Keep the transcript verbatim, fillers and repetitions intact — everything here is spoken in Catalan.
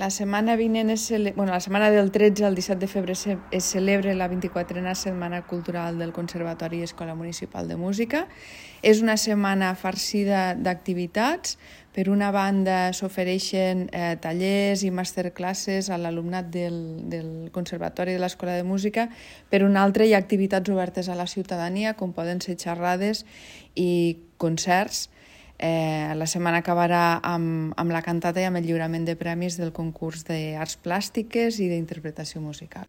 La setmana vinent es cele... bueno, la setmana del tretze al disset de febrer se... es celebra la vint-i-quatrena Setmana Cultural del Conservatori i Escola Municipal de Música. És una setmana farcida d'activitats. Per una banda s'ofereixen eh, tallers i masterclasses a l'alumnat del, del Conservatori de l'Escola de Música. Per una altra hi ha activitats obertes a la ciutadania, com poden ser xerrades i concerts. Eh, la setmana acabarà amb, amb la cantata i amb el lliurament de premis del concurs d'arts plàstiques i d'interpretació musical.